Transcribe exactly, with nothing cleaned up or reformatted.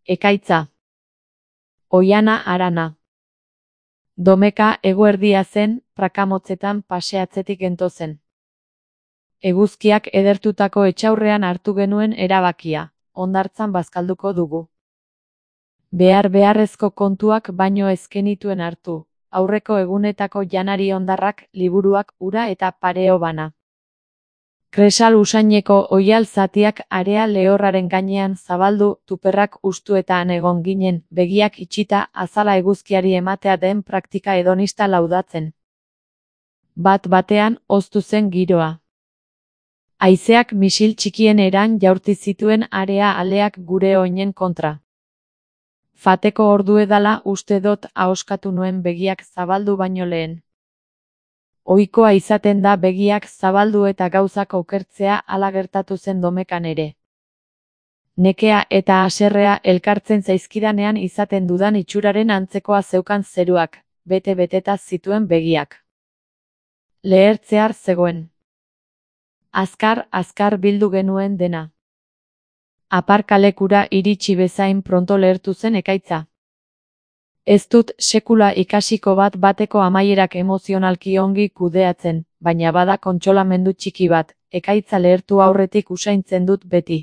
Ekaitza. Oiana Arana. Domeka eguerdia zen, prakamotzetan paseatzetik gentozen. Eguzkiak edertutako etxaurrean hartu genuen erabakia, hondartzan bazkalduko dugu. Behar beharrezko kontuak baino ez genituen hartu, aurreko egunetako janari hondarrak, liburuak, ura eta pareo bana. Kresal usaineko oial zatiak area lehorraren gainean zabaldu, tuperrak ustu eta han egon ginen, begiak itxita, azala eguzkiari ematea den praktika hedonista laudatzen. Bat batean, hoztu zen giroa. Haizeak misil txikien eran jaurti zituen area aleak gure oinen kontra. Fateko ordu edala uste dut ahoskatu nuen begiak zabaldu baino lehen. Ohikoa izaten da begiak zabaldu eta gauzak okertzea, hala gertatu zen Domekan ere. Nekea eta haserrea elkartzen zaizkidanean izaten dudan itxuraren antzekoa zeukan zeruak, bete-beteta zituen begiak. Lehertzear zegoen. Azkar, azkar bildu genuen dena. Aparkalekura iritsi bezain pronto lehertu zen ekaitza. Ez dut sekula ikasiko bat bateko amaierak emozionalki ongi kudeatzen, baina bada kontsolamendu txiki bat, ekaitza lehertu aurretik usaintzen dut beti.